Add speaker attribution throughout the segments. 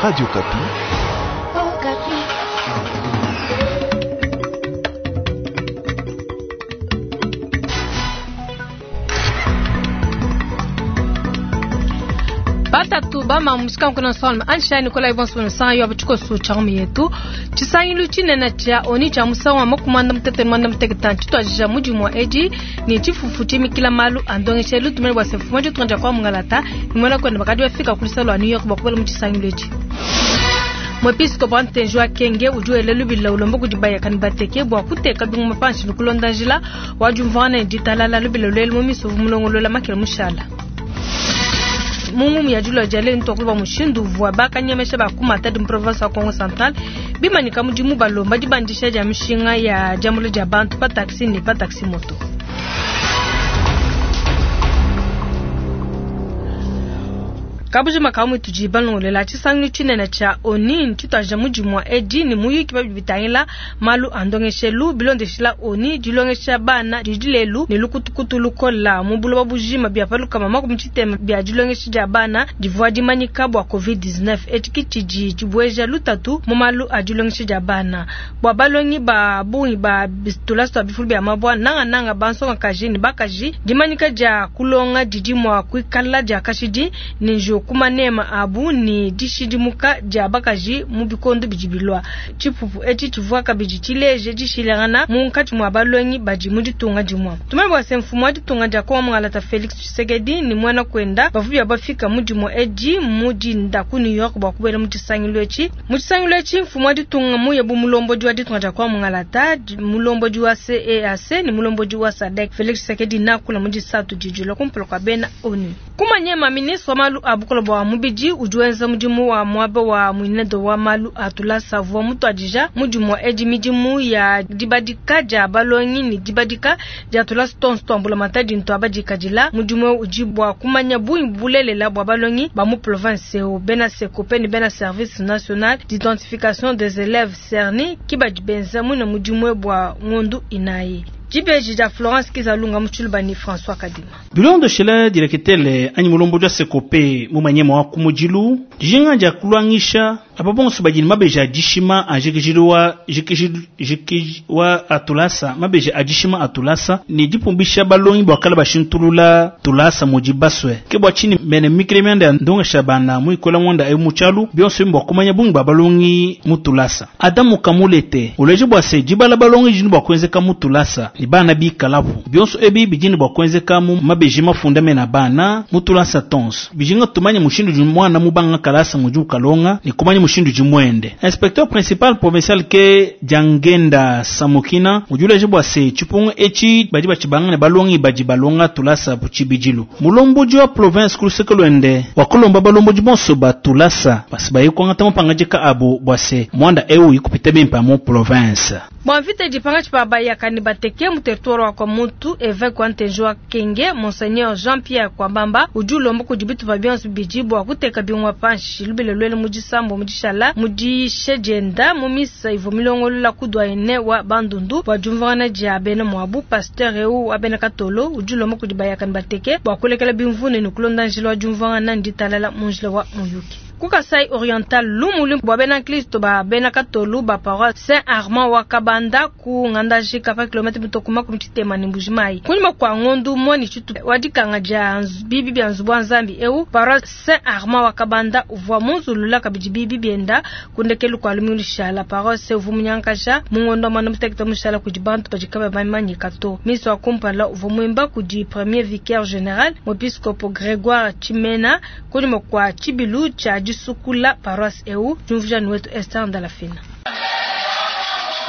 Speaker 1: Radio Okapi.
Speaker 2: Batatu bama musika nkuna nsonga ansha Nikolai bonso nsanga yo abuchiko chamu yetu tshisangilu tshinene tshia oni tshia musangu wa makumanda mutete mwanda muteketa tshituadija mudimu wa edi ne tshifufu tshimikila malu a ndongeshelu tumene bua se mfumu ditunga kwa mungalata ni mwena kwenda bakadi bafika ku lusalo lua New York bua kubala mu tshisangilu etshi. Mwepiskopo wa Ntenji wa Kenge udi wela lubila ulomba kudi bayakani bateke bua kuteka bingoma panshi ne kulonda njila wa diumvuangana ne ditalala lubila luelu mu misovu mulongolola makela mushala. Mu ngumu ya dilua dia lelu ntwakulu bua mushindu uvua bakanyemesha ba ku Matadi mu province wa Kongo Central bimanyika mudimu balomba dibandisha dia mishinga ya diambula dia bantu pa taxi ne pa taxi moto. Kabujima kamwe tudi balongolela tshisangilu tshinene tshia ONU tshituadija mudimu wa edi ne muyuki pa bidi bitangila malu a ndongeshelu bilondeshila ONU dilongesha bana didi lelu ne lukutukutu lukola mu buloba bujima bia palukama makumi tshitema bia dilongesha dia bana divua dimanyika bua COVID-19 etshi ki tshidi tshibueja lutatu mu malu a dilongesha dia bana bua balongi ba bungi ba tulasa tua bifulu bia mabua nangananga bansongakaji ne bakaji dimanyika dia kulonga didi mua kuikala dia kashidi ne njiwu ku manema abu ne dishidimuka dia bakaji mu bikondo bidi bilua. Tshipupu etshi tshivua kabidi tshileje dishilangana munkatshi mua balongi badi mu ditunga dimue. Tumanye bua se mfumu wa ditunga dia Kongo Mungalata Felix Tshisekedi ne muena kuenda bavua bia bafika mu dimue edi mu dinda ku New York bua kubuela mu tshisangilu etshi. Mu tshisangilu etshi mfumu wa ditunga muye bu mulombodi wa ditunga dia Kongo Mungalata, mulombodi wa CEEAC ne mulombodi wa SADC Felix Tshisekedi nakula mu disatu didi kumpala kua bena ONU. Kumanyema ministre wa malu a bukole bua mubidi udi wenza mudimu wa muaba wa muinedo wa malu a tulasa avua mutuadija mudimu wa edi midimu ya dibadika dia balongi ne dibadika dia tulasa tonso tua mbulamatadi ntua badikadila. Mudimu udi bua kumanya bungi bulelela bua balongi ba mu province eu bena SECOPE ne bena service national d'identification des élèves CERNI ki badi benza muine mudimu bua ngondu inayi. Dibeji dia Florence Kizalunga mu Tshiluba ne François Kadima.
Speaker 3: Bilondeshela direketele anyi mulombodi wa SECOPE mu manyema wa ku mudilu dijinga dia kulwangisha aba bonso badi ne mabeji a dishima a jikijilu wa jikijilu jikij wa atulasa mabeji a dishima atulasa ne dipumbisha balongi bua kala bashintulula tulasa mudi basue ke bua tshini mene mikile mianda ya ndongesha bana mu ikola mwanda ewu mu tshialu bionso bua kumanya bungi bua balongi mu tulasa. Adamu Kamulete uleje bua se dibala balongi dini bua kuenzeka mu tulasa ne bana bikalapu bionso ebi bidini bua kuenzeka mu mabeji mafunda mena bana mu tulasa tonso bijinga tumanye mushindu udi mwana mubanga kalasa mudi ukalonga ne kumanya mushindu udi muende. Inspecteur principal provincial ke Diangenda Samukina udi uleje bua se tshipungu etshi badi batshibanga ne balongi badi balonga tulasa bu tshibidilu. Mulombodi wa province ku luseke luende wakulomba balombodi bonso ba tulasa basi baye kuangata mapangadika abu bua se mwanda ewu ikupita bimpe mu province.
Speaker 2: Bua mvita dipanga tshipa bayaka ne bateke mu territoire wa Kwamutu, évêque wa Ntenji wa Kenge, Monseigneur Jean-Pierre Kwabamba udi ulomba kudi bitupa bionso bidi bua kuteka bingoma panshi lubila luele mu disambo mu dishala mu diyisha dienda mu misa ivua milongolola ku doyen wa Bandundu bua diumvuangana dia bena muabu. Pasteur eu wa bena Katolo udi ulomba kudi bayaka ne bateke bua kulekela bimvundu ne kulonda njila wa diumvuangana ne ditalala mu njila wa muyuki. Ku Kasai Oriental lumu luimpe bua bena Kristo ba bena Katolu ba paroisse Saint Armand wa Kabanda ku ngandajika pa kilomètre mitoko makumi tshitema ne Mbuji-Mayi. Kunyima kua ngondu umue ne tshitupa wa dikanga dia bibi bia nzubu wa Nzambi eu, paroisse Saint Armand wa Kabanda uvua munzulula kabidi bibi bienda ku ndekelu kua lumingu lushala. Paroisse uvua munyankaja mu ngondo wa mwanda mutekete mushala kudi bantu badi kabayi bamanyika to. Misa wa kumpala uvua muimba kudi premier vicaire général muepiscopo Grégoire Tshimena kunyima kua tshibilu tshia disukula paroisse eu. Diumvuija ne wetu Esther Ndalafina.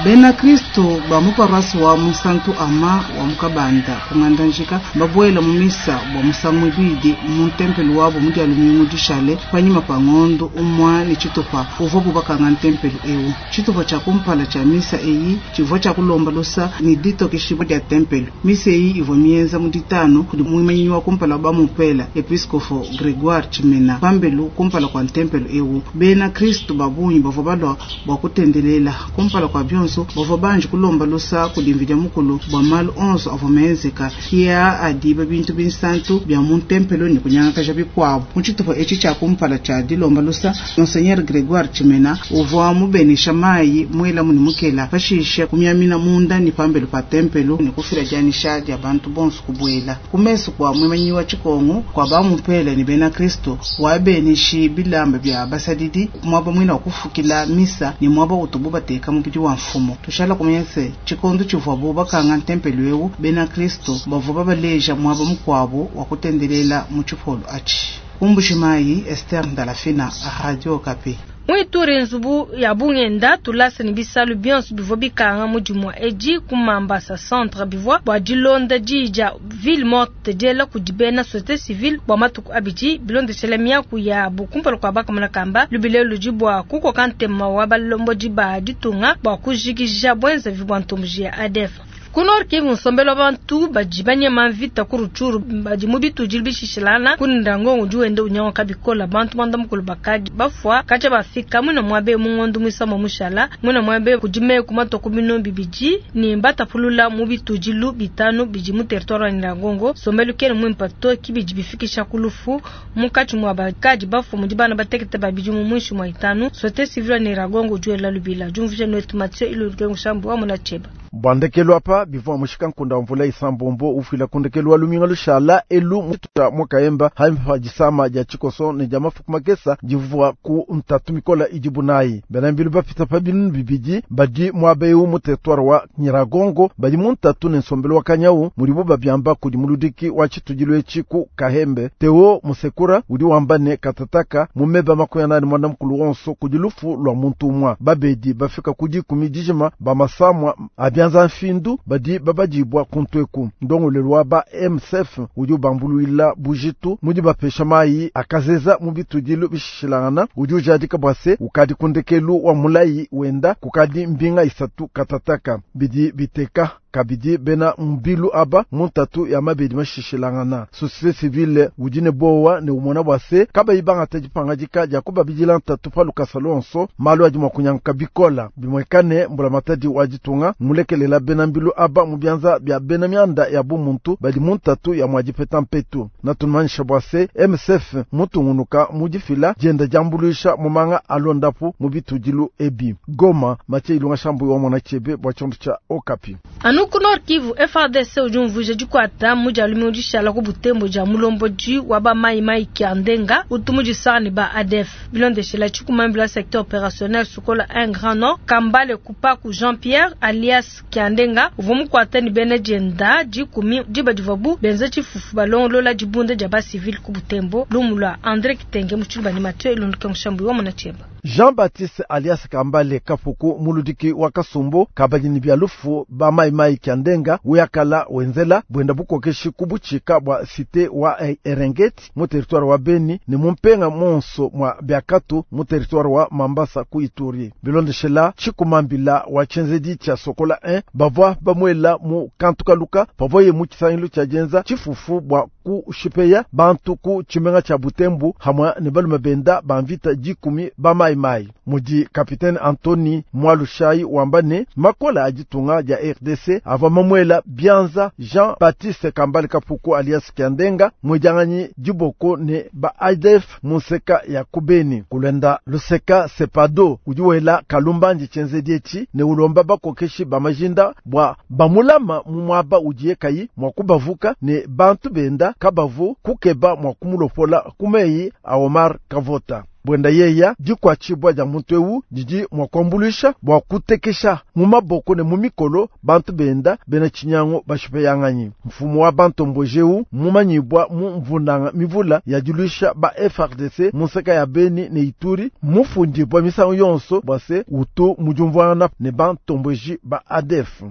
Speaker 4: Bena Kristo ba mu paroisse wa Musantu Ama wa mu Kabanda ku Ngandajika babuela mu misa bua musangu muibidi mu ntempelo wabo mu dia lumingu dishale panyima pa ngondo umua ne tshitupa uvua bubakanga ntempelo eu. Tshitupa tshia kumpala tshia misa eyi tshivua tshia kulomba lusa ne ditokeshibua dia tempelo. Misa eyi ivua mienza mu ditanu kudi muimanyi wa kumpala wa bamupela episkopo Grégoire Tshimena pambelu kumpala kua ntempelo eu. Bena Kristo ba bungi bavua balua bua kutendelela kumpala kua bionso. bonso bavua banji kulomba lusa kudi Mvidie Mukulu bua malu onso avua menzeka. Kia adiba bintu binsantu bia mu ntempelo ne kunyangakaja bikuabu. Mu tshitupa etshi tshia kumpala tshia dilomba lusa, Monseigneur Gregoire Tshimena uvua mubenesha mayi muelamu ne mukela, pashishe kumiamina munda ne pambelu pa tempelo ne kufila dianyisha dia bantu bonso kubuela. Ku mesu kua muimanyi wa tshikongu kua bamupele ne bena Kristo, wabeneshi bilamba bia basadidi muaba muina wa kufukila misa ne muaba utubu bateka mubidi wa mfumu. Tushala kumanya se tshikondo tshivuabu bakanga ntempelo eu, bena Kristo bavua babaleja muaba mukuabu wa kutendelela mu tshipolo atshi. Ku Mbuji-Mayi, Esther Ndalafina, Radio Okapi.
Speaker 2: Mu Ituri, nzubu ya bungenda, tulasa ne bisalu bionso bivua bikanga mu dimua edi ku Mambasa Centre bivua bua dilonda diyi dia ville morte diela kudi bena societe civile bua matuku abidi bilondeshela miaku yabu kumpala kua bakamona kamba. Lubila elu ludi bua kukoka ntema wa balombodi ba ditunga bua kujikija buenzavi bua ntomboji ya ADF. Ku Nord Kivu, nsombelu wa bantu badi banyema mvita ku Rutshuru badi mu bitudilu bishishilana ku Nyiragongo udi wenda unyanguka bikola. Bantu muanda mukulu bakadi bafua katshia bafika muina muabe mu ngondo muisambombo mushala. Muina muabe kudi meku matua ku binunu bibidi ne mbatapulula mu bitudilu bitanu bidi mu territoire wa Nyiragongo. Nsombelu kena muimpa to, ki bidi bifikisha ku lufu munkatshi mua bakadi bafua mudi bana batekete ba bidimu muinshi mua itanu. Societe civile wa Nyiragongo udi wela lubila. Diumvuija nuetu Mathieu Ilulu Kengu wa Mona Tsheba.
Speaker 1: Bua ndekelu apa bivua mushika nkunda wa mvula isambombo ufila ku ndekelu wa luminga lushala elu mututa mwakaemba haimpa disama dia tshikoso ne dia mafuku makesa divua ku ntatu mikola idibu nayi. Bena mbilu bapita pa binunu bibidi badi muaba eu mu territoire wa Nyiragongo badi mu ntatu ne nsombelu wa kanyau mudibu babiamba kudi muludiki wa tshitudilu etshi ku Kahembe Theo Musekura udi wamba ne katataka mu meba makumi anani muanda mukulu wonso kudi lufu lua muntu umua. Babedi bafika ku dikumi dijima ba masamua abianza mfindu badi babadibwa kuntweku. Ndongolelo wa ba MSF udi ubambuluila bujitu mudi bapesha mayi akazeza mu bitudilu bishishilangana udi ujadika bua se ukadi kundekelu wa mulayi wenda kukadi mbinga isatu katataka bidi biteka kabidi bena mbilu aba mu ntatu ya mabedi mashishilangana. Société civile udi ne bowa ne umona bua se kabayi bangata dipangadika dia kubabidila ntatu pa lukasa lonso malu adi mua kunyanguka bikola. Bimwekane mbulamatadi wa ditunga mulekelela bena mbilu aba mu bianza bia bena mianda ya bumuntu badi mu ntatu ya mua dipeta mpetu. Natumanyisha bua se MSF mutungunuka mu difila dienda diambuluisha mu manga alondapu mu bitudilu ebi. Goma, Mathieu Ilunga Shambu wa Mona Chebe bua tshiondo tshia Okapi.
Speaker 2: Anu ku Nord Kivu, FARDC udi umvuija dikwata mu dia lumingu dishala ku Butembo dia mulombodi wa ba Mai Mai Kiandenga utu mu disanga ne ba ADF. Bilondeshela tshikumambila secteur opérationnel Sokola 1 Grand Nord Kambale Kupaku Jean-Pierre alias Kiandenga uvua mukwata ne bena dienda dikumi diba divuabu benza tshifufu balongolola dibunda dia ba civil ku Butembo. Lumu lua André Kitenge mu Tshiluba ne Mathieu Ilundu Kengu wa Mona Cheba.
Speaker 1: Jean-Baptiste alias Kambale Kafuku muludiki wa Kasumbu kabadi ni bia lufu ba Mai Mai Kiandenga uyakala wenzela bwenda bukokeshi kubuchika bwa cité wa Erengeti mu territoire wa Beni ne mumpenga monso mwa Biakatu mu territoire wa Mambasa ku Ituri. Bilondeshela chikumambila wa chenzedi cha Sokola 1 bavwa bamwela mu kantukaluka pavoye mu chisangilu cha jenza chifufu bwa kushipeya bantu ku chimenga cha Butembo hamwa ne balume benda bamvita dikumi ba Mai Mai. Mudi Capitaine Anthony Mwalushai wambane makola aditunga dia RDC ava mamwela Bianza Jean Baptiste Kambale Kapuku alias Kiandenga mwejanganyi diboko ne ba ADF museka ya kubeni kulenda luseka sepado udi wela kalumbandi chenzediechi ne ulomba bakokeshi ba majinda bwa bamulama mu mwaba udiye kayi mwa kubavuka ne bantu benda kabavu kukeba mwa kumulopola kumeyi a Omar Kavota. Bwenda yeya dikwatshibwa dia muntu ewu didi mwa kuambuluisha bua kutekesha mu maboko ne mu mikolo bantu benda bena tshinyango bashipeyanganyi. Mfumu wa bantomboji ewu mumanyibwa mu mvundanga mivula ya diluisha ba FARDC mu nseka ya Beni ne Ituri mufundibwa misangu yonso bua se utu mudiumvuangana ne bantomboji ba ADF.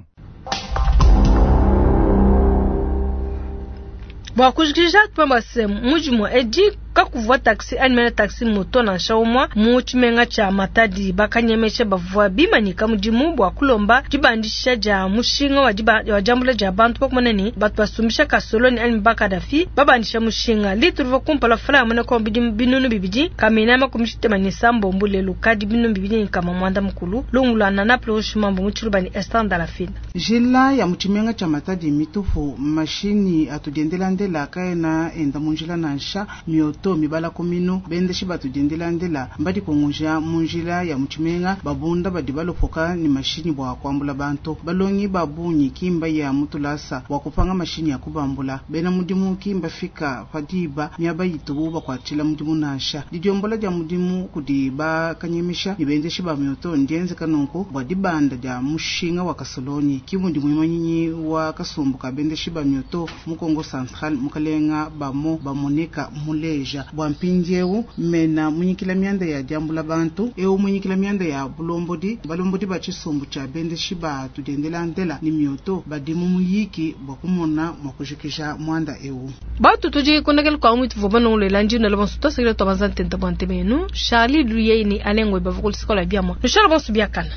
Speaker 2: Bua kujikija twamba se mudimu edi Kakuvua taxi anyi mene taxi moto nansha umua mu tshimenga tshia Matadi. Bakanyemesha bavua bimanyika mudimu bua kulomba dibandisha dia mushinga wa diba wa diambula dia bantu pakumona ne batu basumbisha kasoloni anyi ba Kadafi babandisha mushinga. Litre uvua kumpala franc ya muena bidimu 2000 kamina 61 lelu kadi 2900. Lungu lua Nana Plurish Mambo mu Tshiluba ne Esther Ndalafina.
Speaker 4: Njila ya mu tshimenga tshia Matadi mitupu, mashinyi atudiendelandela kaena enda mu njila nansha, mioto mibala ku minu, bendeshi batudiendelandela mbadikunguja mu njila ya mu tshimenga, babunda badi balopoka ne mashinyi bua kuambula bantu. Balongi ba bungi kimba ya mutulasa bua kupanga mashinyi ya kubambula. Bena mudimu kimba fika pa diba miaba yitubu bakuatshila mudimu nansha. Didiombola dia mudimu kudi bakanyemisha ne bendeshi ba mioto ndienzeka nunku bua dibanda dia mushinga wa kasolonyi. Kimudi muimanyinyi wa kasumbu ka bendeshi ba mioto mu Kongo Central mukalenga bamo bamoneka muleja bua mpindieu mena munyikila mianda ya diambula bantu eu munyikila mianda ya bulombodi balombodi ba tshisumbu tshia bendeshi ba tudiendelandela ne mioto badi mu muyiki bua kumona mua kujikija muanda eu.
Speaker 2: Batu tudi kondakela kwa mwitu vua banongolela ndino la bonso tosekela twabanza ntenta bua ntemenu Charlie Luyei ni Alengwe bavua ku lusiko lua biamua. Nushala bonso biakana.